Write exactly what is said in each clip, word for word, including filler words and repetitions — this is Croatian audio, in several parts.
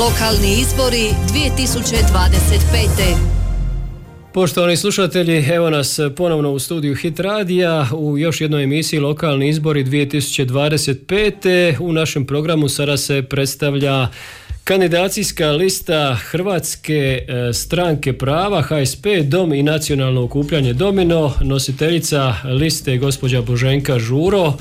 Lokalni izbori dvije tisuće dvadeset pete. Poštovani slušatelji, evo nas ponovno u studiju Hit radija u još jednoj emisiji Lokalni izbori dvije tisuće dvadeset pete. U našem programu sada se predstavlja kandidacijska lista Hrvatske stranke prava, H S P, Dom i nacionalno okupljanje Domino. Nositeljica liste je gospođa Boženka Žuro.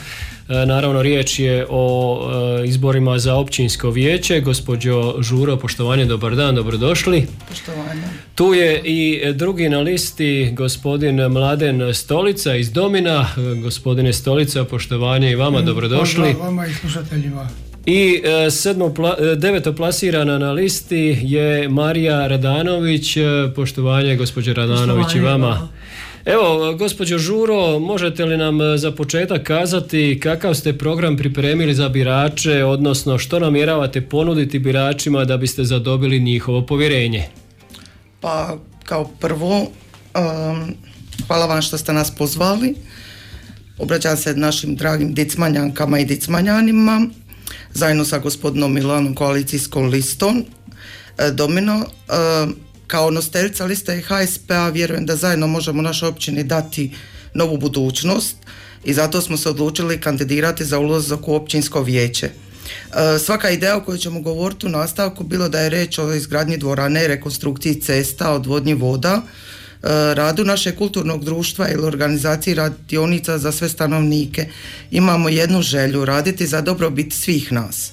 Naravno, riječ je o izborima za općinsko vijeće. Gospođo Žuro, poštovanje, dobar dan, dobrodošli. Poštovanje. Tu je i drugi na listi, gospodin Mladen Stolica iz Domina. Gospodine Stolica, poštovanje i vama, dobrodošli. Pozdrav vama i slušateljima. I sedmo, deveto plasirana na listi je Marija Radanović. Poštovanje, gospođo Radanović, poštovanje i vama. Evo, gospođo Žuro, možete li nam za početak kazati kakav ste program pripremili za birače, odnosno što namjeravate ponuditi biračima da biste zadobili njihovo povjerenje? Pa, kao prvo, um, hvala vam što ste nas pozvali. Obraćam se našim dragim dicmanjankama i dicmanjanima, zajedno sa gospodinom Milanom koalicijskom listom Domino. Um, Kao nositeljica liste H S P-a vjerujem da zajedno možemo našoj općini dati novu budućnost i zato smo se odlučili kandidirati za ulazak u općinsko vijeće. E, svaka ideja o kojoj ćemo govoriti u nastavku, bilo da je reč o izgradnji dvorane, rekonstrukciji cesta, odvodnji voda, e, radu našeg kulturnog društva ili organizaciji radionica za sve stanovnike, imamo jednu želju, raditi za dobrobit svih nas.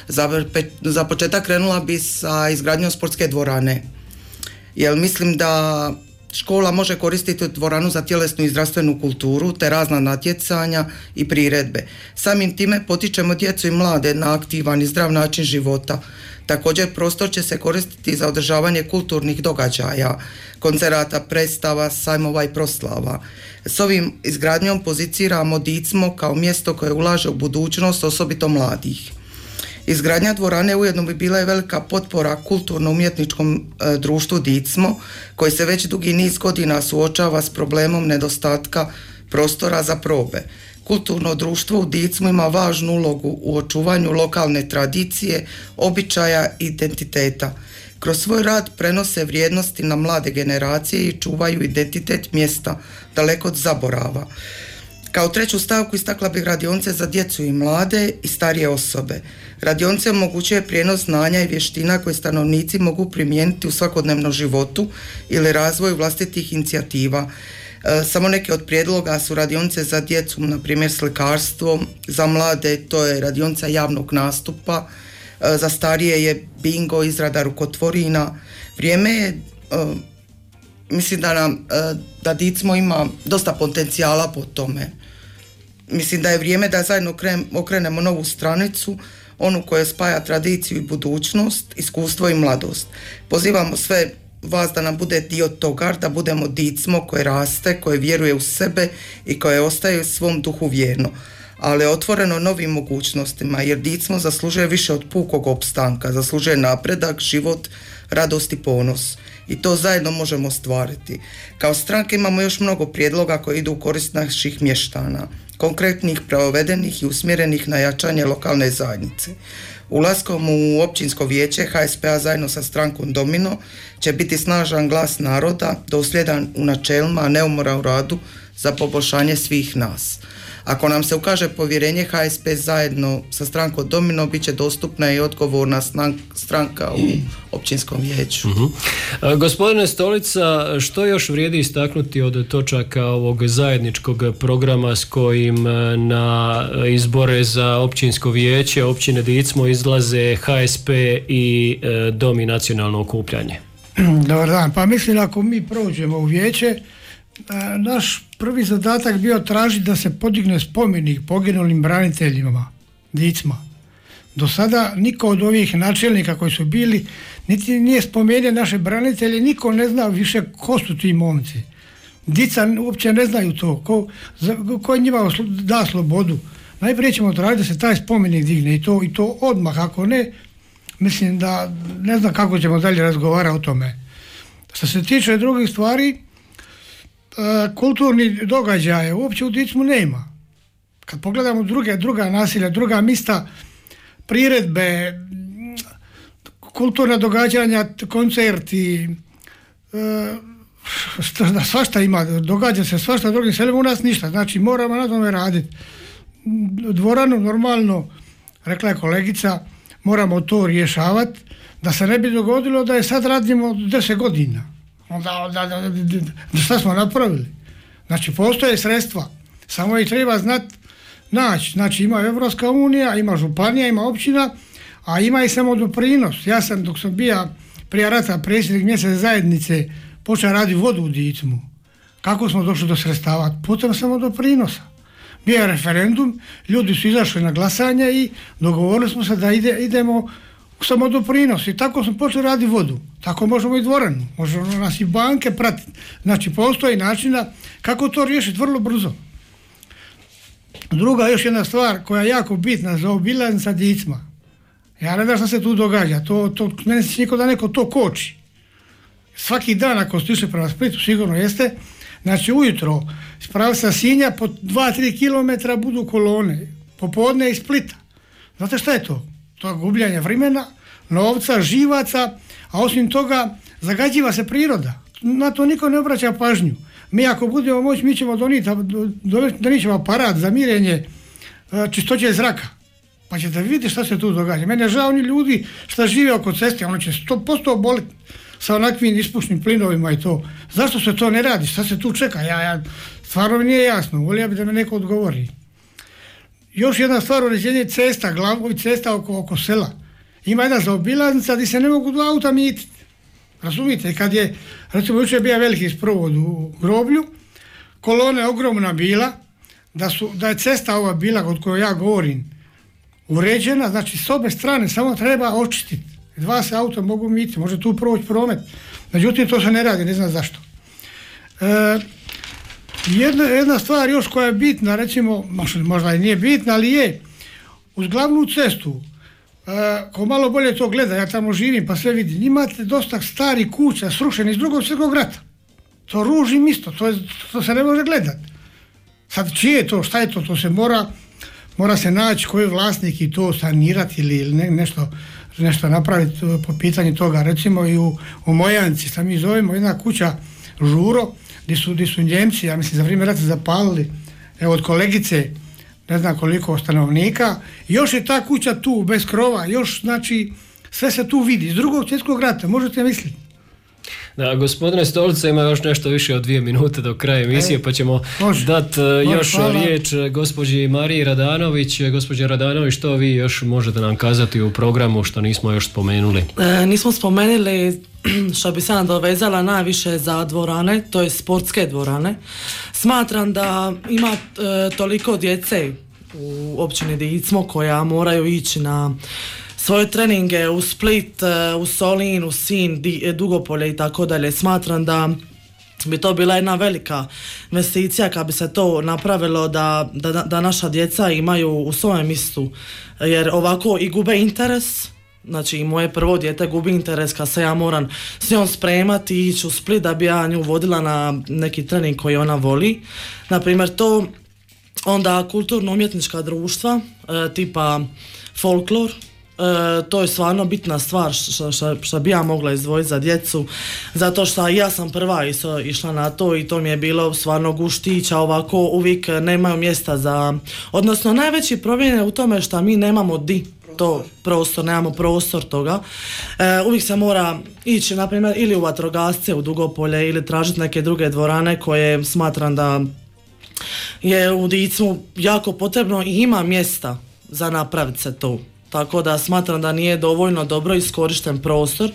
Za, za početak krenula bi sa izgradnjom sportske dvorane. Jer mislim da škola može koristiti dvoranu za tjelesnu i zdravstvenu kulturu te razna natjecanja i priredbe. Samim time potičemo djecu i mlade na aktivan i zdrav način života. Također prostor će se koristiti za održavanje kulturnih događaja, koncerata, predstava, sajmova i proslava. S ovim izgradnjom poziciramo Dicmo kao mjesto koje ulaže u budućnost, osobito mladih. Izgradnja dvorane ujedno bi bila i velika potpora kulturno-umjetničkom e, društvu Dicmo, koji se već dugi niz godina suočava s problemom nedostatka prostora za probe. Kulturno društvo u Dicmu ima važnu ulogu u očuvanju lokalne tradicije, običaja i identiteta. Kroz svoj rad prenose vrijednosti na mlade generacije i čuvaju identitet mjesta daleko od zaborava. Kao treću stavku istakla bih radionice za djecu i mlade i starije osobe. Radionice omogućuje prijenos znanja i vještina koje stanovnici mogu primijeniti u svakodnevnom životu ili razvoju vlastitih inicijativa. E, samo neke od prijedloga su radionice za djecu, na primjer slikarstvo, za mlade to je radionica javnog nastupa, e, za starije je bingo, izrada rukotvorina. Vrijeme je, e, mislim da nam, e, da Dicmo ima dosta potencijala po tome. Mislim da je vrijeme da zajedno okrenemo novu stranicu, onu koja spaja tradiciju i budućnost, iskustvo i mladost. Pozivamo sve vas da nam bude dio toga, da budemo Dicmo koje raste, koje vjeruje u sebe i koje ostaje u svom duhu vjerno, ali otvoreno novim mogućnostima, jer Dicmo zaslužuje više od pukog opstanka, zaslužuje napredak, život, radost i ponos. I to zajedno možemo ostvariti. Kao stranke imamo još mnogo prijedloga koji idu u korist naših mještana, konkretnih, provedenih i usmjerenih na jačanje lokalne zajednice. Ulaskom u općinsko vijeće H S P-a zajedno sa strankom Domino će biti snažan glas naroda, dosljedan u načelima, a neumoran u radu za poboljšanje svih nas. Ako nam se ukaže povjerenje, H S P zajedno sa strankom Domino bit će dostupna i odgovorna stranka u općinskom vijeću. Uh-huh. A, gospodine Stolica, što još vrijedi istaknuti od točaka ovog zajedničkog programa s kojim na izbore za općinsko vijeće općine Dicmo izlaze H S P i e, Dom i nacionalno okupljanje? Dobar dan, pa mislim ako mi prođemo u vijeće, naš prvi zadatak bio tražiti da se podigne spomenik poginulim braniteljima Dicma. Do sada niko od ovih načelnika koji su bili niti nije spomenuo naše branitelje, niko ne zna više ko su ti momci. Dica uopće ne znaju to, ko, ko njima da slobodu. Najprije ćemo tražiti da se taj spomenik digne i to, i to odmah, ako ne, mislim da ne znam kako ćemo dalje razgovarati o tome. Što se tiče drugih stvari, kulturni događaje uopće u Dicmu nema. Kad pogledamo druge, druga naselja, druga mista, priredbe, kulturna događanja, koncerti, e, svašta ima, događa se svašta, drugim selima u nas ništa, znači moramo na tome raditi. Dvoranu normalno, rekla je kolegica, moramo to rješavati, da se ne bi dogodilo da je sad radimo deset godina. Onda, da, da, da, da, šta smo napravili? Znači postoje sredstva, samo ih treba znati naći. Znači ima Evropska unija, ima županija, ima općina, a ima i samo doprinos. Ja sam dok sam bio prije rata predsjednik mjesne zajednice počeo raditi vodu u Dicmu. Kako smo došli do sredstava? Putem samo doprinosa. Bio je referendum, ljudi su izašli na glasanje i dogovorili smo se da ide, idemo samo doprinos i tako smo počeli raditi vodu. Tako možemo i dvoranu, možemo nas i banke pratiti. Znači postoji načina kako to riješiti vrlo brzo. Druga još jedna stvar koja je jako bitna za obilaznica Dicma. Ja ne znam šta se tu događa, to, to, mene se niko da neko to koči. Svaki dan ako ste išli prema Splitu, sigurno jeste, znači ujutro iz pravca Sinja po dva do tri kilometra budu kolone, popodne iz Splita. Znate šta je to? To je gubljanje vremena, novca, živaca, a osim toga zagađiva se priroda. Na to niko ne obraća pažnju. Mi ako budemo moći, mi ćemo doniti, donit ćemo aparat za mirenje čistoće zraka. Pa ćete vidjeti šta se tu događa. Mene je žao oni ljudi što žive oko ceste, ono će sto posto oboliti sa onakvim ispušnim plinovima i to. Zašto se to ne radi? Šta se tu čeka? Ja, ja, stvarno mi nije jasno. Volio bi da me neko odgovori. Još jedna stvar, uređenje cesta, glavnih cesta oko, oko sela. Ima jedna zaobilaznica gdje se ne mogu dva auta mititi. Razumite, kad je, recimo jučer je bio veliki sprovod u Groblju, kolona je ogromna bila, da, su, da je cesta ova bila od kojoj ja govorim uređena, znači s obe strane samo treba očistiti. Dva se auta mogu miti, može tu proći promet. Međutim, to se ne radi, ne znam zašto. E, jedna, jedna stvar još koja je bitna, recimo, možda i nije bitna, ali je, uz glavnu cestu, e, ko malo bolje to gleda, ja tamo živim pa sve vidim, imate dosta starih kuća srušenih iz drugog svjetskog rata. To ružim isto, to, je, to se ne može gledati. Sad čije je to, šta je to, to se mora, mora se naći koji je vlasnik i to sanirati ili ne, nešto, nešto napraviti po pitanju toga. Recimo i u, u Mojanci, šta mi zovemo, jedna kuća Žuro, gdje su, gdje su Njemci, ja mislim za vrijeme rata zapalili, evo od kolegice, ne znam koliko stanovnika, još je ta kuća tu, bez krova, još znači sve se tu vidi, iz drugog svjetskog rata, možete misliti. Da, gospodine Stolica, ima još nešto više od dvije minute do kraja emisije, e, pa ćemo dati još hvala. riječ gospođi Mariji Radanović. Gospođa Radanović, što vi još možete nam kazati u programu što nismo još spomenuli? E, nismo spomenuli što bi se nadovezala najviše za dvorane, to je sportske dvorane. Smatram da ima e, toliko djece u općini Dicmo koja moraju ići na svoje treninge u Split, u Solin, u Sinj, Dugopolje i tako dalje. Smatram da bi to bila jedna velika investicija kad bi se to napravilo da, da, da naša djeca imaju u svojem mjestu, jer ovako i gube interes. Znači i moje prvo dijete gubi interes kad se ja moram s njom spremati i ići u Split da bi ja nju vodila na neki trening koji ona voli. Naprimjer to, onda kulturno-umjetnička društva e, tipa folklor. E, to je stvarno bitna stvar što bi ja mogla izdvojiti za djecu, zato što ja sam prva iso, išla na to i to mi je bilo stvarno guštića, ovako uvijek nemaju mjesta za, odnosno najveći problem je u tome što mi nemamo di to prostor, nemamo prostor toga. E, uvijek se mora ići, na primjer, ili u vatrogasce u Dugopolje ili tražiti neke druge dvorane koje smatram da je u Dicmu jako potrebno i ima mjesta za napraviti se to. Tako da smatram da nije dovoljno dobro iskorišten prostor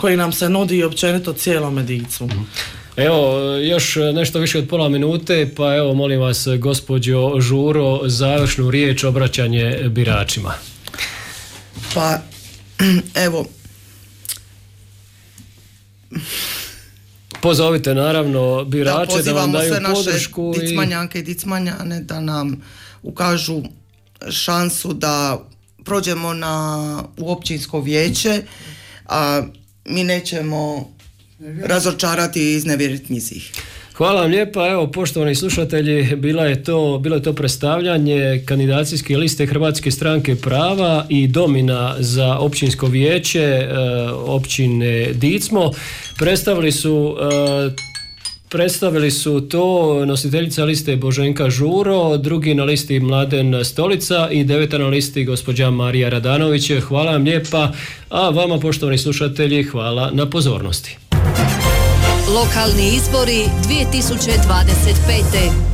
koji nam se nudi općenito cijelom Dicmu. Evo, još nešto više od pola minute, pa evo molim vas gospođo Žuro, završnu riječ, obraćanje biračima. Pa, evo... Pozovite naravno birače da, da vam daju podršku. Da, pozivamo sve naše dicmanjanke i dicmanjane da nam ukažu šansu da prođemo na, u općinsko vijeće, a mi nećemo razočarati i iznevjeriti njih. Hvala vam lijepa. Evo, poštovani slušatelji, bila je to, bilo je to predstavljanje kandidacijske liste Hrvatske stranke prava i domina za općinsko vijeće e, općine Dicmo. Predstavili su e, Predstavili su to nositeljica liste Boženka Žuro, drugi na listi Mladen Stolica i deveta na listi gospođa Marija Radanović. Hvala vam lijepa, a vama poštovani slušatelji hvala na pozornosti. Lokalni izbori dvije tisuće dvadeset pete.